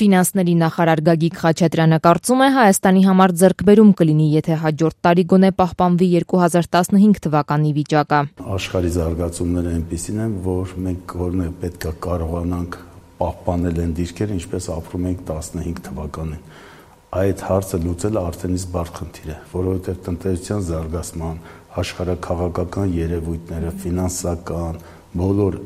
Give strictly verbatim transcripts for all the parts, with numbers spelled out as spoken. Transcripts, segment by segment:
Ֆինանսների նախարար Գագիկ Խաչատրյանը կարծում է, Հայաստանի համար ձեռքբերում կլինի, եթե հաջորդ տարի գոնե պահպանվի երկու հազար տասնհինգ թվականի վիճակը։ Աշխարհի զարգացումները այնպիսին են, որ մենք գոնե պետք է կարողանանք պահպանել այն դիրքերը, ինչպես ապրում ենք տասնհինգ թվականին։ Այդ հարցը լուծելը արդեն իսկ բարդ խնդիր է, որովհետև տնտեսության զարգացման, աշխարհաքաղաքական երևույթները, ֆինանսական, բոլոր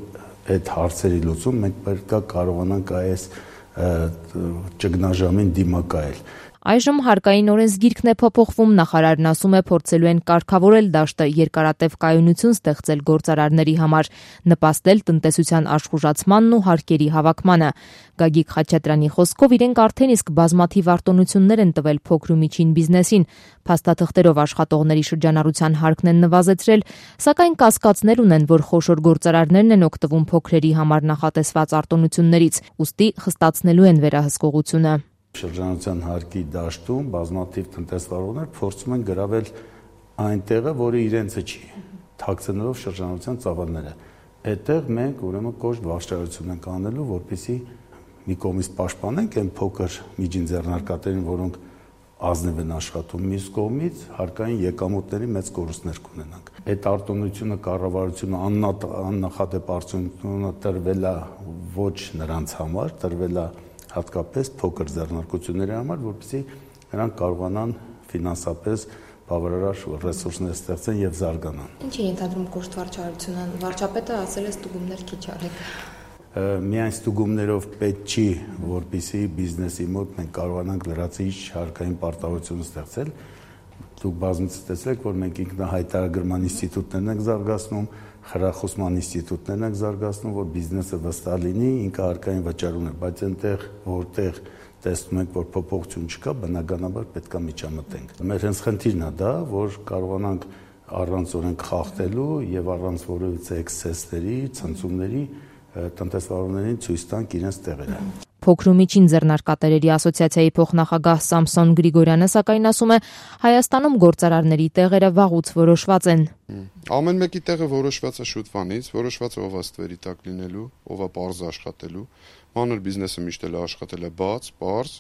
այդ հարցերի լուծում մենք պետք է կարողանանք այս ճգնաժամին դիմակայել։ Այժմ հարկային օրենսգիրքն է փոփոխվում, նախարարն ասում է փորձելու են կարգավորել դաշտը, երկարատև կայունություն ստեղծել գործարարների համար, նպաստել տնտեսության աշխուժացմանն ու հարկերի հավաքմանը։ Գագիկ Խաչատրյանի խոսքով իրենք արդեն իսկ բազմաթիվ արտոնություններ են տվել փոքր ու միջին բիզնեսին, փաստաթղթերով աշխատողների շրջանառության հարկն են նվազեցրել, սակայն կասկածներ ունեն, որ խոշոր գործարարներն են օգտվում փոքրերի համար նախատեսված արտոնություններից, ուստի խստացնելու են վերահսկողությունը։ Շրջանառության հարկի դաշտում բազմաթիվ տնտեսվարողներ փորձում են գրավել այն տեղը, որը իրենցը չի, թաքցնելով շրջանառության ծավալները։ Այդտեղ մենք ուրեմն կոշտ վարչարություն ենք անելու, որպեսզի մի կողմից պաշտպանենք այն փոքր միջին ձեռնարկատերին, որոնք ազնիվ են աշխատում, մյուս կողմից հարկային եկամուտների մեծ կորուստներ կունենանք։ Այդ արտոնությունը, կառավարությունը աննախադեպ արդյունքները տրվել է ոչ նրանց համար, տրվել է հատկապես փոքր ձեռնարկությունների համար, որպեսզի նրանք կարողանան ֆինանսապես բավարար ռեսուրսներ ստեղծեն եւ զարգանան։ Ինչ է ենթադրում կոշտ վարչարությունը։ Վարչապետը ասել է ստուգումներ քիչ արեք։ Միայն ստուգումներով պետք չի, որպեսզի բիզնեսի մոտ մենք կարողանանք լրացիչ հարկային պարտավորություն ստեղծել։ Դուք բազմիցս տեսեք, որ մենք ինքնահայտարարման ինստիտուտներն ենք զարգացնում, խրախուսման ինստիտուտներն ենք զարգացնում, որ բիզնեսը վստահ լինի, ինքը հարկային վճարում է, բայց այնտեղ, որտեղ տեսնում ենք, որ փոփոխություն չկա, բնականաբար պետք է միջամտենք։ Մեր հենց խնդիրն է դա, որ կարողանանք առանց օրենք խախտելու եւ առանց որևիցե էքսեսների, ցնցումների տնտեսվարողներին ցույց տանք իրենց տեղերը։ Փոքր ու միջին ձեռնարկատերերի ասոցիացիայի փոխնախագահ Սամսոն Գրիգորյանը սակայն ասում է, Հայաստանում գործարարների տեղերը վաղուց որոշված են։ Ամեն մեկի տեղը որոշված է շուտվանից, որոշված է ով է ստվերի տակ լինելու, ով է պարզ աշխատելու, մանր բիզնեսը միշտ էլ աշխատել է բաց, պարզ։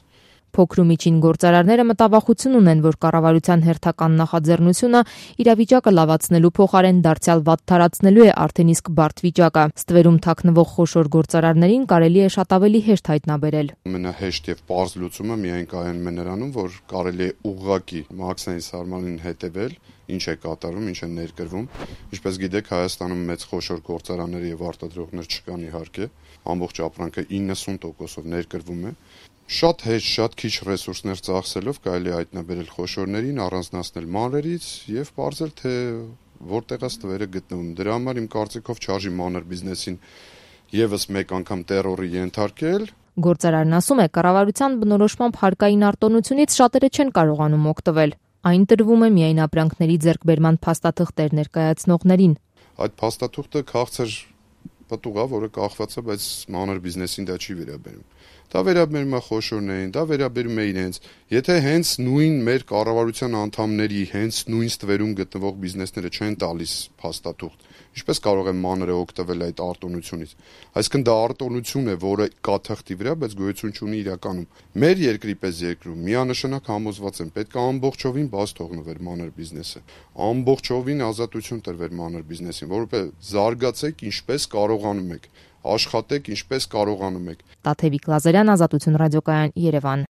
Փոքր ու միջին գործարարները մտավախություն ունեն, որ կառավարության հերթական նախաձեռնությունը իրավիճակը լավացնելու փոխարեն դարձյալ վատթարացնելու է արդեն իսկ բարդ վիճակը։ Ստվերում թաքնվող խոշոր գործարարներին կարելի է շատ ավելի հեշտ հայտնաբերել։ Ամենահեշտ եւ պարզ լուծումը միայն կայանում է նրանում, որ կարելի է ուղղակի մաքսային սահմանին հետևել, ինչ է կատարվում, ինչ է ներկրվում։ Ինչպես գիտեք, Հայաստանում մեծ խոշոր գործարաններ եւ արտադրողներ չկան իհարկե, ամբողջ ապրանքը իննսուն տոկոսով ներկրվում է։ Շատ հեշտ, շատ քիչ ռեսուրսներ ծախսելով կարելի է հայտնաբերել խոշորներին, առանձնացնել մանրերից եւ բարձել թե որտեղ է ստվերը գտնվում։ Դրա համար իմ կարծիքով չարժի մանր բիզնեսին եւս մեկ անգամ տերորի ենթարկել։ Գործարարն ասում է, կառավարության բնորոշմամբ հարկային արտոնությունից շատերը չեն կարողանում օգտվել։ Այն տրվում է միայն ապրանքների ձեռքբերման փաստաթղթեր ներկայացնողներին։ Այդ փաստաթուղթը քաղցր պտուղ է, որը կախված է, բայց մանր բիզնեսին դա չի վերաբերում։ Դա վերաբերում է խոշորներին, դա վերաբերում է իրենց։ Եթե հենց նույն մեր կառավարության անդամների հենց նույն ստվերում գտնվող բիզնեսները չեն տալիս փաստաթուղթ, ինչպես կարող է մանրը օգտվել այդ արտոնությունից։ Այսինքն դա արտոնություն է, որը կա թղթի վրա, բայց գոյություն չունի իրականում։ Մեր երկրի պես երկրում միանշանակ համոզված են, պետք է ամբողջովին բաց թողնվեր մանր բիզնեսը, ամբողջովին ազատություն տրվեր մանր բիզնեսին, որովհետեւ զարգացեք ինչպես կարողանում եք, աշխատեք ինչպես կարողանում եք։ Տաթևիկ Լազարյան, Ազատություն ռադիոկայան, Երևան։